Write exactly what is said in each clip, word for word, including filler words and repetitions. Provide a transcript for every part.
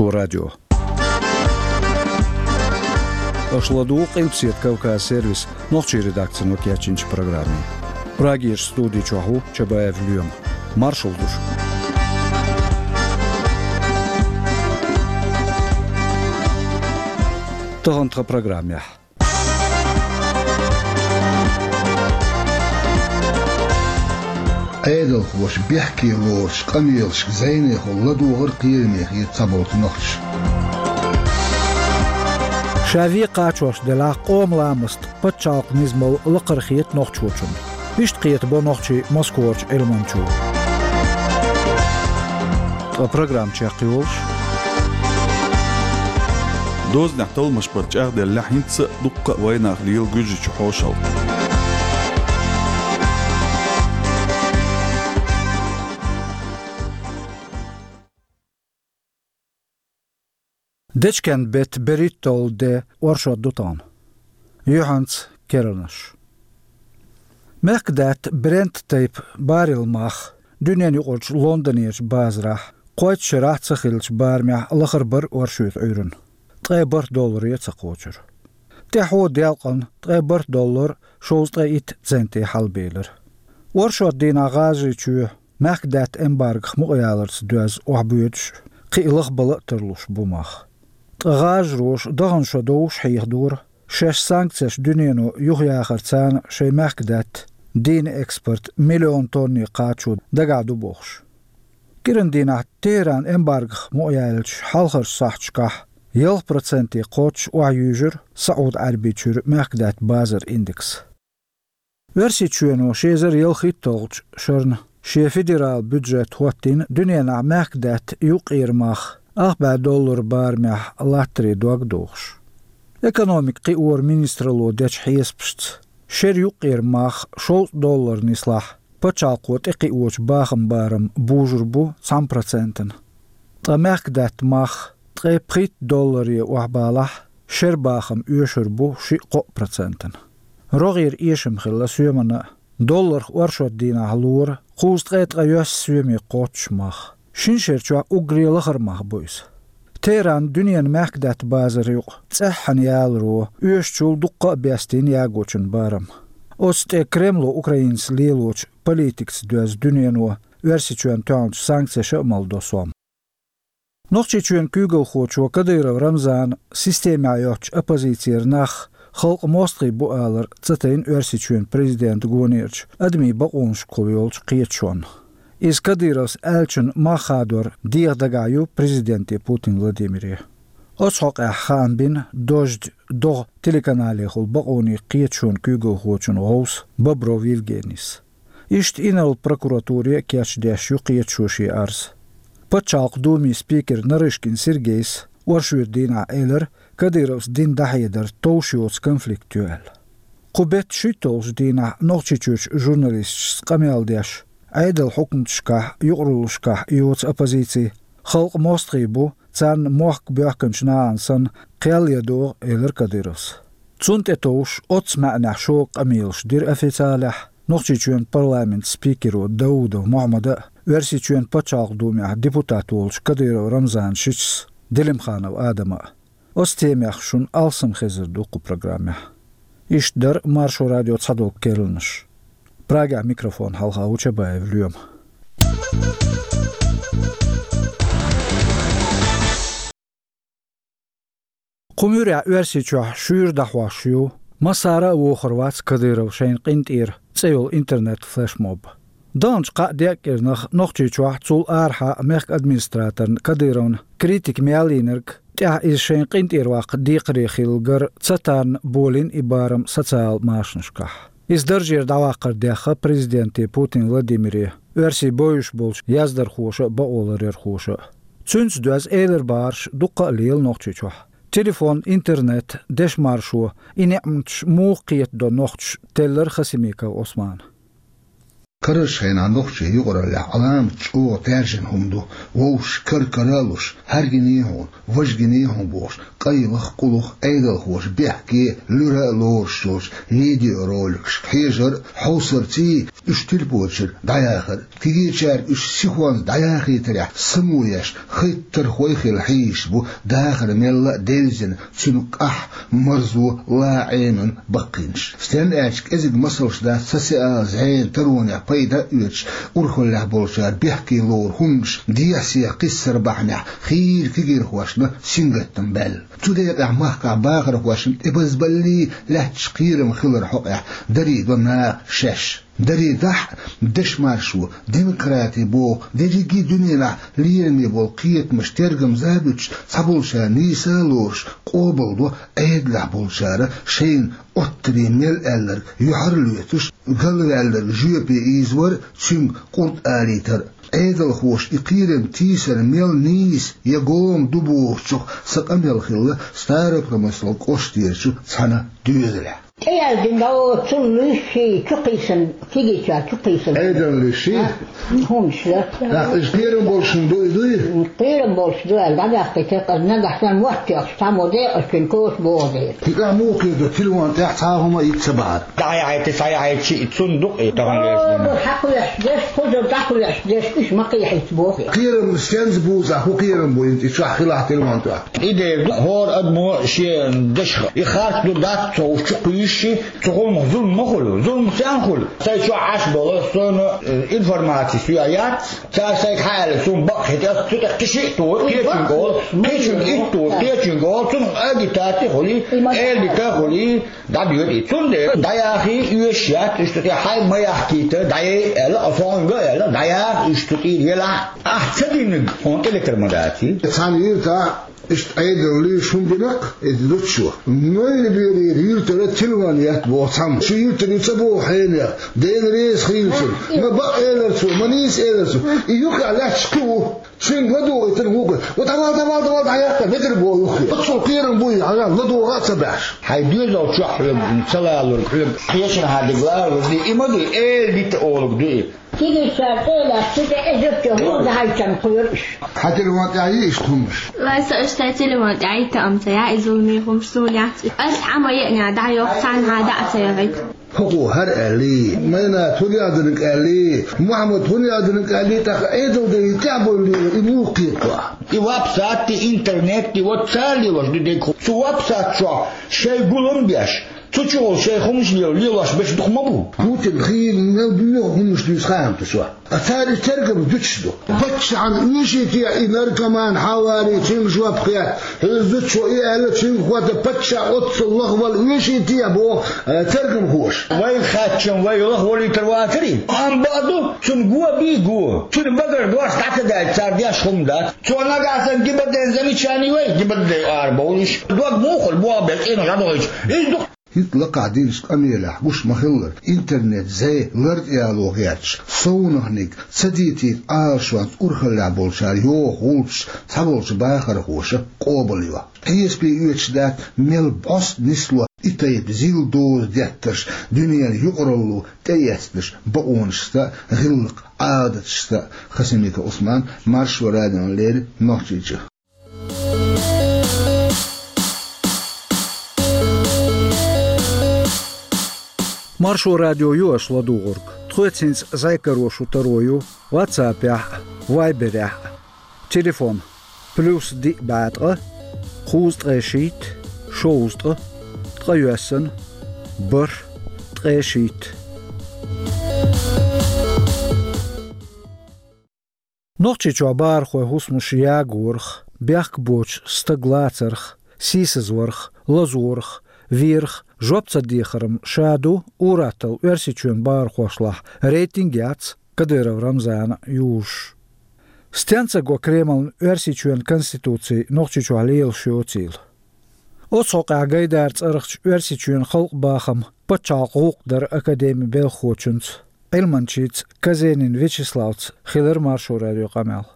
Маршо радио. Аша ладугӀу Къилбаседа Кавказ сервисан нохчийн редакцино кечйинчу программе. Прагерчу студи чохь ву Чабаев Лоьма. Маршалла ду шуьга. Тахана тхан программехь. Ӏедалхоша бехке лоручу къамелашка зӀенехула ладогӀар кхераме хета цхьаболчу нохчаша. Ша вен кхачош делахь, къоман ламаста пачхьалкхан низамалла лакхара хета нохчочунна. Иштта кхетабо нохчий Москварчу Ӏилманчо. Ткъа программа чекхйолуш. Дозанехь талламаш бара чӀагӀделлехь, хӀинца а дуккха а вайнах лела Гуьржичу хьошалгӀа. Дечкен-беттан берхӀитталгӀа де оршот ду тахана. Юьхьанца керланаш. Мехкдаьтта Брент тайпа баррел мах дуьненан юкъарчу Лондонерчу базарахь кхойтта шарахь ца хиллачу барамехь лахара бара оршотан Ӏуьйранна. Ткъе бархӀ долларе ца кхочура. ТӀаьхьо делкъана ткъе бархӀ доллар шовзткъе итт центе хьалабелира. Оршот дийнахь ГӀажарийчоь мехкдаьтта эмбаргох мукъаяларца доьзна охьабоьдуш, кхин а лахбала а тарлуш бу мах. Ткъа гӀажароша дахана шо довш хьехадора, шаьш санкцеш дуьнено юхаяхарца шайн мехкдаьтта дийнан экспорт миллион тонне кхачо дагахь ду бохуш. КӀиран дийнахь Тегеран эмбаргох мукъаяьллачу хьалхарчу сахьташкахь ялх проценте кхоччуш охьаюьйжира СаӀуд-Ӏаьрбийчуьра мехкдаьтта базаран индекс. Оьрсийчоьно ши эзар ялхитталгӀачу шарна шен федералан бюджет хӀоттийна дуьненахь мехкдаьтта юккъера мах ах бӀе доллар барамехь латтаре дог дохуш. Экономикан кхиоран министралло дечу хьесапашца, шеран юккъера мах шовзткъа доллар нислахь, пачхьалкхо тӀекхиочу бахаман барам бужур бу цхьана процентана. Ткъа мехкдаьтта мах ткъе пхийтта долларе охьабалахь, шеран бахам оьшур бу шиъ-кхоъ процентана. РогӀера эшам хилла соьмана а, долларх оршот дийнахь лора кхузткъе ткъайоьсна соьме кхоччуш мах. Шина шера чохь уггаре лахара мах бу иза. Тегеран дуьненан мехкдаьтта базар юкъа цӀеххьана яларо оьшучул дуккха а бестийна ягочун барам. Оцу тӀе Кремло Украинца лелочу политикаца доьзна дуьнено Оьрсийчоьнна тоьхначу санкцеша а малдо сом. Нохчийчоьнан куьйгалхочо Кадыров Рамзана системехь йоцучу оппозицера нах халкъан мостагӀий бу алар ца тайна Оьрсийчоьнан президентан гонерчу адамийн бакъонашкахула йолчу кхеташонна. Иза Кадыровс аьллачун мах хадор деха дагахь ю президенте Путин Владимире. Оцу хьокъехь хаам бина «Дождь» догӀу телеканалехула бакъонийн кхеташонан куьйгалхочун гӀовс Бобров Евгенийс. Иштта инарла прокуратуре а кечдеш ю кхеташо шен арз. Пачхьалкхан Думин спикер Нарышкин Сергейс оршотан дийнахь элира, Кадыровс дина дӀахьедар товш йоцу конфликт ю аьлла. Кху беттан шийтталгӀачу дийнахь Нохчийчуьрчу журналисташца къамел деш, Ӏедалан хьукматашкахь, юкъараллашкахь йоцу оппозици халкъан мостагӀий бу, царна мохк боьхкинчу нахана санна кхел ян догӀу, элира Кадыровс. Цунна тӀетовжуш оццу маьӀнехь шога къамелаш дира официалехь Нохчийчоьнан парламентан спикеро Даудов Мохьмада а, Оьрсийчоьнан Пачхьалкхан Думехь депутат волчу Кадыров Рамзанан шичас Делимханов Адама а. Оцу темех шуна алсам хезар ду кху программехь. Иштта дара Маршо радион цхьадолу керланаш. Прагехь микрофон хьалха ву Чабаев Лоьма. Кху муьрехь Оьрсийчохь шуьйра дӀахьош ю «Массара а вохур вац Кадыров шайна къинтӀера» цӀе йолу интернет-флешмоб. Даханчу кхаа-деа кӀирнах Нохчийчохь, цул арахьа мехкан администраторна Кадыровна критика мел йинарг, тӀаьхьа иза шайна къинтӀера ваккха декхаре хилла гар ца тарна болийна и барам социал машанашкахь. Иза даржера дӀаваккхар дехха президенте Путин Владимире, оьрсийн бовзуш болчу яздархоша а, бакъоларъярхоша а. Цуьнца доьзна элира бахарш дуккха а лела Нохчийчохь. Телефон, интернет, дешан маршо, и неӀматаш муха кхетадо нохчаша, теллира Хасимиков Ӏусмана. Араш хьайна нохчий юкъараллехь Ӏаламат чӀогӀа таьржина хӀума ду, вовш кар-кара а луш, хьаьргиний хьуна, важгиний хьуна бохуш, къайлах, къулах, Ӏедалхоша бехке, луьра а лоруш йолчу видеороликашка хьежар а, хьовсарций, уьш тилпочуьра дӀаяхар а. Кегийчаьрга уьш сихонца дӀаяхийтарехь само еш, хайтархой хила хьийзаш бу, дахар мелла а девзина, цуьнан къахь, марзо, ла Ӏемина баккхийнаш. Стенна аьлча, кӀезиг масалш дац социал зӀенан таронех пайда а оьцуш, урхаллехь болчара бехке лору хӀуманаш дехьа-сехьа кхиссар бахьанехь хийра кегийрхошна сингаттам баьлла. Цу декъехь махкахь бахархошна тӀебазбаллий лаьтташ кхерам хилар хьокъехь даре до наха шаьш. Даре дахь а, дешмаршо, демократи боху дерриге а дуьненахь лераме болу кхетамаш тергамза а буьтуш, цхьаболчара нийса а лоруш, къобалдо Ӏедалехь болчара шайна оттаре мел аьлларг юьхьарлоьцуш, галваьлларг жоьпе ийзавар а, цуьнга къурд алийтар а. Ӏедалхоша и кхерам тийсар мел нийса я гома ду бохучух сан къамел хилла Старопромыслан кӀоштерачу цхьана доьзалехь. ТӀеяздина дӀо цул луьйш ший чукхийсан, кегийчара чукхийсан. Ӏедаллий ший? А, хӀумаш ду. ТӀаккха иза кхерам болуш хӀума ду, и дуй? Кхерам болуш ду аьлла, дӀабаьккхийтира, нагахь санна мотт тоьхча, цхьаммо декъазчуьнан кхочуш боху дела. ХӀинца а муха кхетадо, телефон тӀехь цхьа а хӀума а йиц ца бахьара. ДӀаяхьийта, схьаяхьийта шиъ цунна ду-кх и тахана лерча. О, хьакхоьхьуш дерш, кхузара дӀакхоьхьуш дерш, уьш ма кхехьийта боху. Кхерам стенца бу, хӀун кхерам бу хӀинца и чохь хилахь телефон тӀехь? И дера ду, хӀора адамо шен дашах и харц ду, дац ца хууш чукхуьйсуш, цу хӀуманах зулам ма хуьлу. Зулам стенна хуьлу? Сайн чохь Ӏаш болу, суна, э, информаци соьга яц, цара сайга хьааьлла, суна бакъ хӀита, аса цу тӀе кхин шиъ туху, кхечуьнга олу, кхечуьнга итт туху, кхечуьнга олу, цунах агитаци хуьлий, элита хуьлий, дӀадоьду и. Цундела дӀаяхий оьшуш яц, иштта тӀе хьайн ма яхкийта, дӀаяй аьлла, аса хьуна аьлла, дӀаяха уьш цу тӀера елахь. Ахь ца динарг хьуна тӀелетар ма даций. Цхьана юьртахь иштта Ӏедаллий шун бинарг, иза дуччо. Нойрберера юьртара телефон етта боху цхьамма. Шу юьртара ю ца боху хьенех, Дела реза хуьлда цунна. Ма бакъ элира цо, ма нийса элира цо. И юххехь лаьтташ кхин ву. Цуьнга ладугӀуьйтура вукху. Ва давай, давай, давай, дӀаяккха, векара боху юххе. Оццул кхерам буй, хьажал, ладогӀа а ца баьхьаш. Хьайн доьзал чохь хьоьга, ца лалург хьоьга, кхечанхьа дигла а вази, и ма дуй, элита олуг ду и. Кегийчара тӀе а лаьцна, цу тӀе эзар чохь хӀума дахьийтина кхоьру уьш. Хьан телефон тӀехь йий иштта хӀумаш? Вай, со уьш сайн телефон тӀехь йийтта ам ца яа, и зуламе хӀумаш суна яц. Ас хьан ма еъна дӀайоху, цхьанхьа дӀа а ца яхийта. ХӀокхо хӀара аьллий, Майнат хӀун яздинарг аьллий, Мухьаммад хӀун яздинарг аьллий, тӀаккха Ӏедал дерриг тӀаьхьа бовлийла, и муха кхета? И веб-сайт, и интернет, и вот цара лелош ду дерг хӀума. Цу веб-сайт чохь шайн гулам беш, цу чухула шайн хӀумаш лела, лелош берш дукха ма бу. Путин хийла мел боьха хӀумаш дуьйцу хаам ду цо. Ткъа цара и тергам дуьтуш ду. Паччахьна оьший те и наркоман хьан варий, цуьнга жоп хетта? Хьуьзза чу и аьлла, цуьнга хӀотта паччахь оццул лахвала оьший те боху, э, тергамхоша. Вай хаьттича, вай лахволийтар вацарий? Амма бакъ ду, цунна го бий го. Цуьнан багара дош дӀа ца даьлча, цара деш хӀума дац. Цо нагахь санна гибаддайн замечани вай, гибаддай арабовлуш. Дог муха хуьлу, боху бен цӀенош дӀадохуьйтуш? Иза ду. ХӀинца лакхахь динчу къамелехь гуш ма-хиллара, интернет-зӀе лартӀаяло гӀерташ, совнаханиг ца дитийта Ӏалашонца урхаллехь болчара йоху гӀулчаш цхьаболчу бахархоша къобалйо. Хьесапе оьцуш дац, мел бӀоста нисло и тайпа зил доза деттарш дуьненан юкъаралло тӀеэцнарш бакъонашца а, гӀиллакх-Ӏадаташца а. Хасимиков Ӏусман, Маршо радиона леррина, Нохчийчу. Маршо радио ю аша ладугӀург. Тхоьца хӀинца зӀе каро шун таро ю WhatsApp-ехь а, Viber-ехь а. Телефон: плюс диъ бӀе ткъа, кхузткъе шийтта, шовзткъа, ткъе йоьссана, бархӀ, ткъе шийтта. Нохчийчохь бахархойн хӀусамаш ягорах, бехк боцуш стаг лацарх, сийсазварх, лазорах, верах жоп ца дехаран ша ду ур-атталла Оьрсийчоьнан бахархошлахь рейтинг яц Кадыров Рамзана юзуш. Стенна ца го Кремлна Оьрсийчоьнан конституци Нохчийчохь лелаш йоцийла? Оцу хьокъехь Гайдар цӀарахчу Оьрсийчоьнан халкъан бахаман пачхьалкхан гӀуллакх даран академин белхахочуьнца, Ӏилманчица Казенин Вячеславца хилира Маршо радион къамел.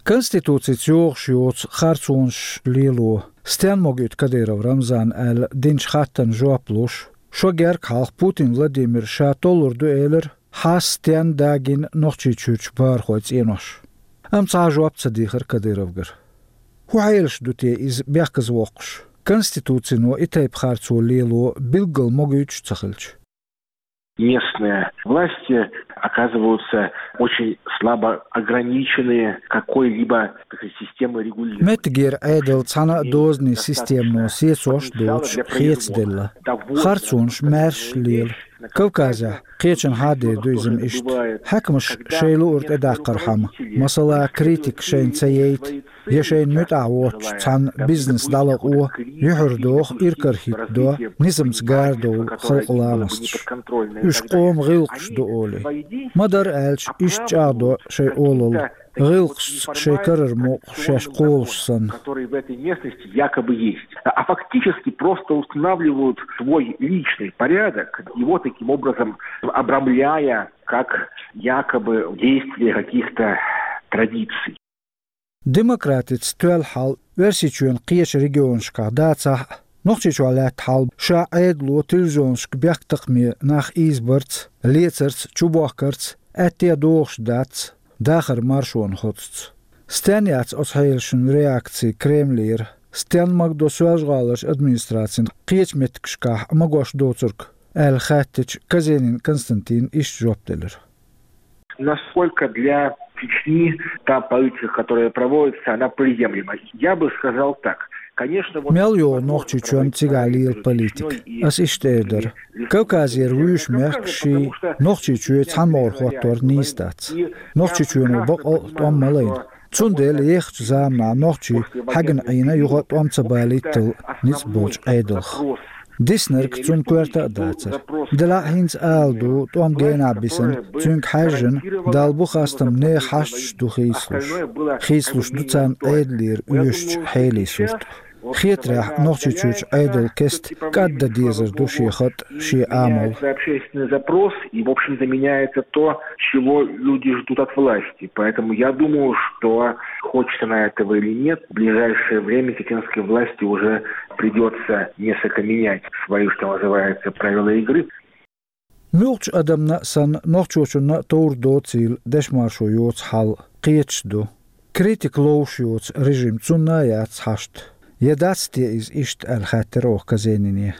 Конституцица йогӀуш йоцу харцонаш лело стенна могуьйту Кадыров Рамзана аьлла динчу хаттарна жоп луш, шо герга хьалха Путин Владимира ша толлур ду элира, хьастен дагина Нохчийчуьрчу бахархойн цӀенош. Амма цхьа а жоп ца дийхира Кадыровгара. ХӀун хьелаш ду те иза бехказа воккхуш? Конституцино и тайпа харцо лело билггал могуьйтуш ца хилча. Местные власти оказываются очень слабо ограничены какой-либо такой системой регулирования. Меттигера Ӏедал цхьана а дозанийн системано сецош доцуш хецаделла. Харцонаш маьрша лела. Кавказехь кхечанхьа хьадер ду иза-м иштта. Хьаькамаш шайн луъург тӀедаккхархьама, масала, критика шайна ца яйта, я шайна муьтӀахь воцчу цхьана бизнес дӀалакъо, юьхьар доху, иракарахӀитта до, низамца гарадовла халкъан ламасташ. Уьш къоман гӀиллакхаш ду олий. Ма-дарра аьлча, иштта чӀагӀдо шайн олалла, гӀиллакхашца шайн карара мукъа шаьш кхолуш санна. Которые в этой местности якобы есть, а фактически просто устанавливают свой личный порядок, его таким образом обрамляя как якобы действие каких-то традиций. Демократица тоьлла хьал Оьрсийчоьнан кхечу регионашкахь дацахь а, Нохчийчохь лаьтта хьал ша Ӏедало телевизионашка бехктакхаме нах ийзабарца, лецарца, чубохкарца аьттехьа догӀуш дац дахаран маршонан хоцуца. Стенна яц оцу хьелашна реакци Кремлера, стенна магадо Соьлжа-ГӀаларчу администрацина кхечу меттигашкахь магош доцург, аьлла хаьттича, Казенин Константина иштта жоп делира. Насколько для Чечни та политика, которая проводится, она приемлема? Я бы сказал так. Конечно, вот... Мел йогӀу Нохчийчоьнан цигахь лела политика? Ас иштта эр дара. Кавказера вуьйш мехкашший Нохчийчоь цхьаьна могӀара хӀоттор нийса дац. Нохчийчоьно бакъ а тӀом ма лайна. Цундела ехачу заманахь нохчий хьаьгна Ӏийна юха а тӀом ца балийтал ницкъ болчу Ӏедалх. Диснарг цунна коьрта а дацара. Делахь а хӀинца ала ду, тӀом генахь бисина, цуьнга хьаьжжина, Далла бу хастам, нехан хьашташ ду хийцалуш. Хийцалуш ду царна Ӏедалера оьшучу хьелий сурт. Хетарехь, Нохчийчуьрчу Ӏедалан кеста кӀаддан дезар ду шен хатӀ, шен амал. Общественный запрос, и, в общем-то, меняется то, чего люди ждут от власти. Поэтому я думаю, что, хочет она этого или нет, в ближайшее время чеченской власти уже придётся несколько менять свои, что называется, правила игры. Муьлххачу адамна а санна, нохчочунна а товр доцийла дешмаршо йоцу хьал кхеташ ду. Критика ловш йоцу режим цунна а яц хьашт. Я дац те иза иштта, аьлла хаьттира оха Казенине.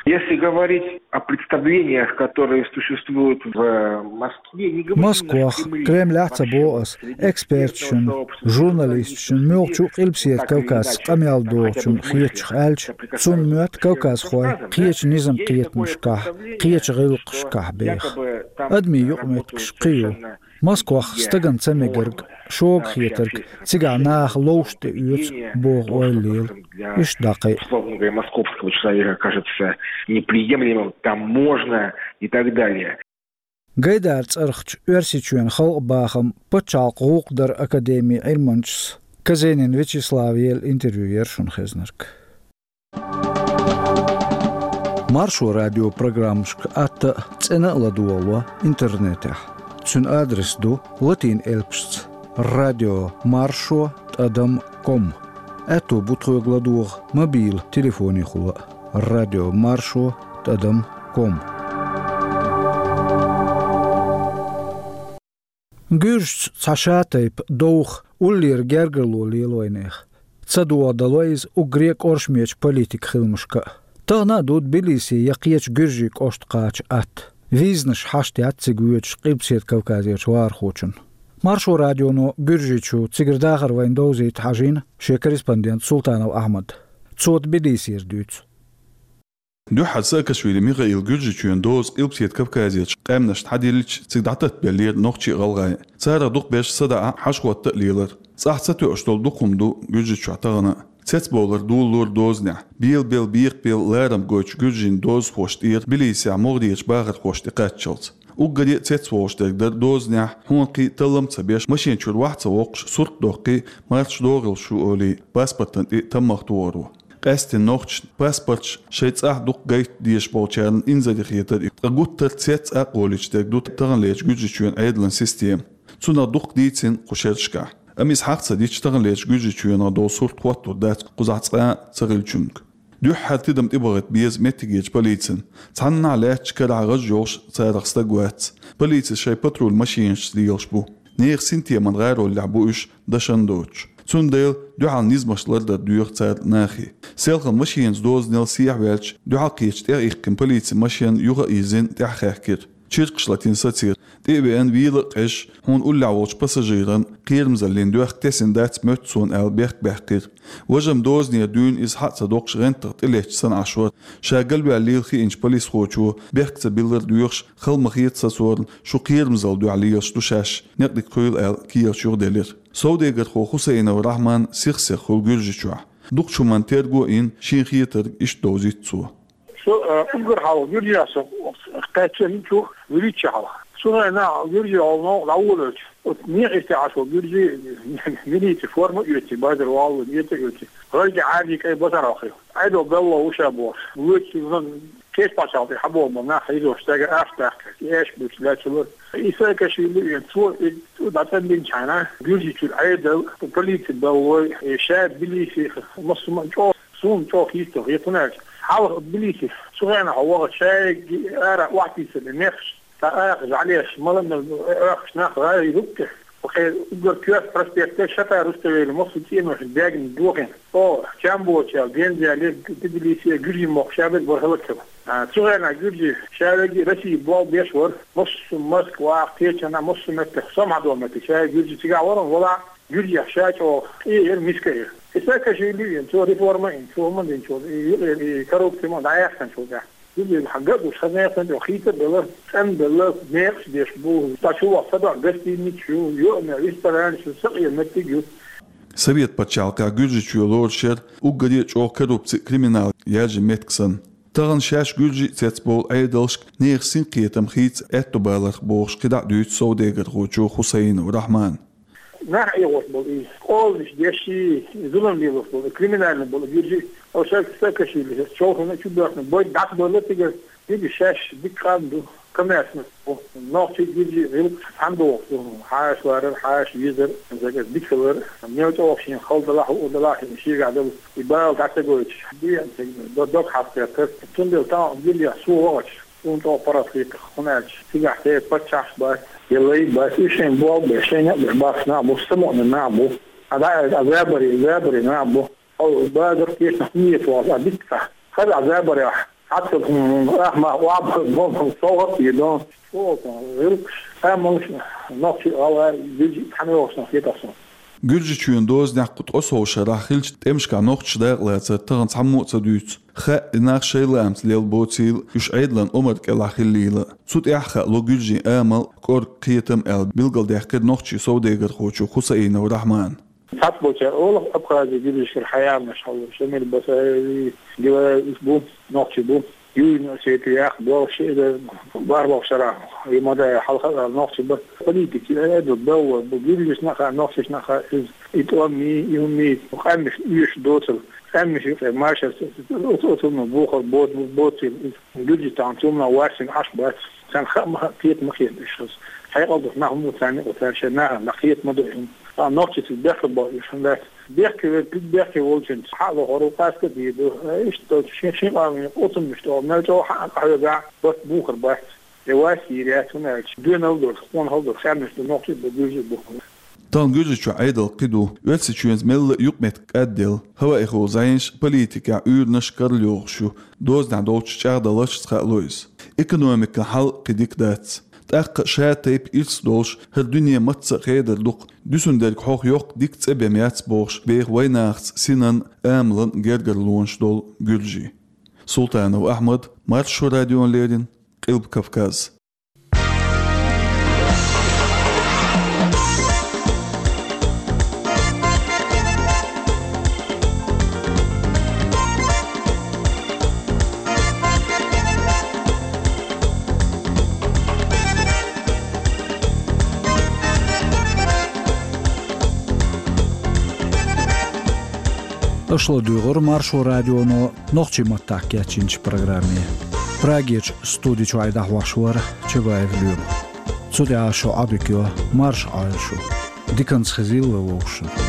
Если говорить о представлениях, которые существуют в Москве, не говорю... Москвахь, Кремлехь а ца боху ас, эксперташна, журналисташна, муьлххачу Къилбаседа Кавказца къамел дохучунна хетачух аьлча, цунна моьтту кавказхой кхечу низам-кхетамашкахь, кхечу гӀиллакхашкахь беха. Адамийн юкъаметтигаш кхин ю. Москвахь стагана ца мегарг, шога хетарг, цигахь наха ловш тӀеоьцу боху ойла лела. Иштта дӀа кхин а. Условно говоря, московского человека кажется неприемлемым, там можно и так далее. Гайдара цӀарахчу Оьрсийчоьнан халкъан бахам, пачхьалкхан гӀуллакх даран академин Ӏилманчас Казенин Вячеслава елла интервью яра шуна хезнарг. Маршо радион программашка атта а, цӀена а ладогӀало интернетехь. Цуьнан адрес ду латин элпашца: радио маршо тӀадам ком. Аьтто бу тхоьга ладогӀа мобил телефонехула а: радио маршо тӀадам ком. Гуьржаца цхьа шатайпа довха, уллера гергарло лела вайнехан. Ца догӀа дало иза уггаре а кӀоршамечу политикан хиламашка а. Тахана а ду Тбилисе я кхечу гуьржийн кӀошта кхача атта. Визанаш хьашт яц цига воьдучу Къилбаседа Кавказерчу вахархочунна. Маршо радионо Гуьржийчу, цигара дахар вайна довзийта, хьажийна шен корреспондент Султанов Ахьмад. Цо Тбилисера дуьйцу. Дуьххьара Саакашвили Михаила Гуьржийчоьнан доза Къилбаседа Кавказерчу къаьмнашна хьадиллича, цига дӀататтабеллера нохчий а, гӀалгӀай а. Царах дукхахберш садаӀа, хьашт-хӀотта а лелара. ЦӀахь ца тоьуш долу дукха хӀума ду Гуьржийчохь тахана а. Цецбовлар долалора дозанехь, белабелла, бекхабелла ларам гойтучу гуьржийн дозанхошна тӀера Тбилисехь могӀарерчу бахархошна тӀекхаччалц. Уггаре а цецволуш дерг дара дозанехь хьонкхий, таллам а ца беш, машен чуьра вахь а ца воккхуш, сурт а доккхий, марша догӀийла шу олий, паспортана тӀе таммагӀа тохаро. Къаьсттина нохчашна паспорташ шайн цӀахь дукха гайта дезаш болчарна инзаре хетара и. Ткъа гуттар а цец а кхоллуьйтуш дерг ду таханлерчу Гуьржийчоьнан Ӏедалан система. Цунах дуккха дийцина кху шерашкахь. Амма иза хьагӀ ца дича, таханлерчу Гуьржийчоьнах долу сурт хӀоттор дац кхузахь цкъа а ца хиллачуьнга. Дуьххьара тидам тӀебахийта беза меттигерчу полицина. Цхьаннахьа лаьттачу карахь гӀаж йолуш царах стаг вац. Полицис шайн патруль машинашца лелаш бу. Нехан синтеман гӀароллехь бу уьш, дашна доцуш. Цундела дуьхьал низамаш лардар доьху цара нахе. Селхана машенаца дозанал сехьаваьлча, дуьхьал кхечу тӀех иккхина полицин машен юха а йирзина, тӀаьхьахаьхкира. Чиркхаш латийна сацийра. ТӀе а веана, вела а къежаш, хьуна уллехь волчу пассажиран кхерамзаллин доьхка тесна дац моьтту суна аьлла, бехк баьккхира. Важа-м дозанера дуьйна иза хьа а ца доккхуш, гӀентах тӀелетташ санна Ӏаш вара. Ша галваьлла лела хиъначу полисхочо, бехк ца биллар доьхуш, хала ма хета сацорна, шу кхерамзалла дуьхьа лелаш ду шаьш, некъ дика хуьйла аьлла, керлачу юхаделира. Совдегархо Хусаинов Рахьман сих-сиха хуьлу Гуьржийчохь. Дукхачу хӀуманна терго а йина, шен хетарг иштта довзуьйту цо. Со, э, уггар хьалха Гуьржехь со кхаьчча хӀинца вуьрхӀитта шу хьалха. Цу хенахь Гуьржехь новкъа дӀаволавелча, оцу некъа йистехь Ӏаш волу гуьржий милицин форма а оьций, базар валло, эца а оьций, гӀайгӀа Ӏаьржий кӀайн базар вахийла. Ӏедал белла ву ша бохуш, вуьрхӀитта кечбачхьалла тӀе хьабогӀу бан нах хьийзош, цаьрга аша даккха, и аша буьйцу лаьцна лора. И Саакашвили вен, цо и дӀатӀам бинчхьана, Гуьржийчуьра Ӏедал, полици беллой, и ша Тбилиси массо а чӀогӀа, суна чӀогӀа хӀитталла хета, хӀунда аьлча хьалха Тбилиси цу хенахь вахча шайга ара охьатийсар и мехаш, цхьа аха жӀалеш, мала-мала оьхуш нах гӀайгӀа хӀуттуш. Кхин уггар коьрта проспекте Шатара Руставели массо а цӀеношна бегна дохийна. О, чам боцучу аьлла, генза яьлла, Тбилиси гуьржийн мохк ша берг бара хӀаллакьхилла. А, цу хенахь гуьржий ша верг Россия болх беш вара, массо а Москвахь, кхечанхьа, массо а меттехь, самхьадо меттиг ша гуьржий цигахь вара, вала гуьржех ша чӀогӀа къе яра, миска яра. И Саакашвили вен, цо реформа а йина, цо хӀума а динчул, и юкъера, и коррупци ма дӀаяьккхинчул тӀаьхьа. Иза хьан ган а гуш, хаза яханчо хӀиттар а белла, цӀан а белла, некъаш деш бу, ткъа чу ваха ца догӀу гостиницаш ю, йоӀана ресторанаш ю, сакъе меттиг а ю. Совет пачхьалкхехь Гуьржийчоь лоруш яра уггаре а чӀогӀа коррупци а, криминал яьржина меттиг санна. Тахана шаьш гуьржий а цецбовлу Ӏедалшка нехан синкхетам хийца аьтто баларх бохуш кхидӀа а дуьйцу совдегархочо Хусаинов Рахьмана. Нах Ӏехош болу и, къоланаш деш и, зулам лелош болу и, криминальный болу гуьржий, оцу Саакашвили чолхана чу боьхна, бойда дӀасабевлла цигара, дика шаьш дика къам ду, коммерсант бу, нохчий, гуьржий гӀиллакхаш цхьаьна дохуш ду, хьаша варар, хьаша везар, дика хилар, мел чӀогӀа шена хала далахь, хӀуъа далахь, шена шегахь долу и бала дӀа ца гойтуш, дегӀан дог хьастер тара. Цундела тахана гуьржехь со вахча, суна чӀогӀа паргӀат хетар, хӀунда аьлча цигахь церан паччахьаш бац, я лай бац, уьш шайн болх беш, шайн некъ беш бахаш нах бу, самукъане нах бу. А дӀа а забаре, забаре нах бу. Хьо базар кхеташ нах нийса вахаш, а дика ца. Хаза а забарехь, хьацал хӀума, ахьа ма охьабахар, бохам, совгӀат а дон. ЧӀогӀа гӀиллакхаш, амалш, нохчий, гӀалгӀай, гуьржий цхьаьна йогӀуш нах хетахь суна. Гуьржийчоьнан дозанехь кху ткъе сов шарахь хиллачу тӀемашкахь нохчаша дакъалацар тахана цхьаммо а ца дуьйцу. Хаьа, и нах шайн лаамца лелла боцийла, уьш Ӏедалан омра кӀелахь хиллийла. Цу тӀехь хаало гуьржийн амал, кӀорга, кхетам аьлла, билгалдаьккхира нохчийн совдегархочо Хусаинов Рахьмана. Цхьацца болчара олу Абхази гуьржашкара хьаяланаш хьалуш, Шамил Басаеви, Гилаев, уьш бу, нохчий бу. Южный Осетиях болуш, иза бархӀалгӀачу шарахь, и ма дай хьалха а нохчий бара. Политика, э, ду, белла бу, гуьржашна а хаьа, нохчашна а хаьа, иза и тӀом йий, и хӀума йий, къаьмнаш оьшуш доцург, къаьмнаш юкъе машар, оцу, оцунна бухар боц-, боцийла иза. Гуьржий тахана цунна варсина Ӏаш бац. Царна хаа ма хаьа, кхета ма кхета уьш хаза. Хьекъал долуш нах ма бу царна юкъа, цара шайн нахана кхета ма до и хӀума. Ткъа нохчашца бехке боху уьш хӀунда дац? Бехке верг, куьг бехке волчуьнца хьа а лохур ву, къаста а дийр ду. Э, иштта долчу шен, шен къоман оцуннаш тӀе мел чӀогӀа хьа а къахьоьгахь, барт бухар бац. И варс йийр яц, хӀунда аьлча доьналла долуш, къонахалла долуш къаьмнаш ду, нохчий а бу, гуьржий а бу. Тахана Гуьржийчохь Ӏедал кхин ду, Оьрсийчоьнца мелла а юкъаметтиг кӀадъелла, хӀаваэхула зӀенаш, политикехь уьйранаш карла йогӀуш ю, дозанехь долчу чӀагӀдаларшца хаало иза. Экономикан хьал кхин дика дац. ТӀаккха ша тайпа ирс долуш, хӀара дуьне мацца а хедар ду-кх, дуьсун дерг хьох йоккха дика цӀе бен яц бохуш, беха вайнахаца синан, амалан гергарлонаш долу гуьржий. Султанов Ахьмад, Маршо радиона леррина, Къилба Кавказ. Аша ладуьйгӀира Маршо радионо нохчийн маттахь кечйинчу программе. Прагерчу студи чуьра дӀахьош вара Чабаев Лоьма. Цу тӀехь шун Ӏодика йо, марша Ӏойла шу. Диканца хезийла вай вовшашна.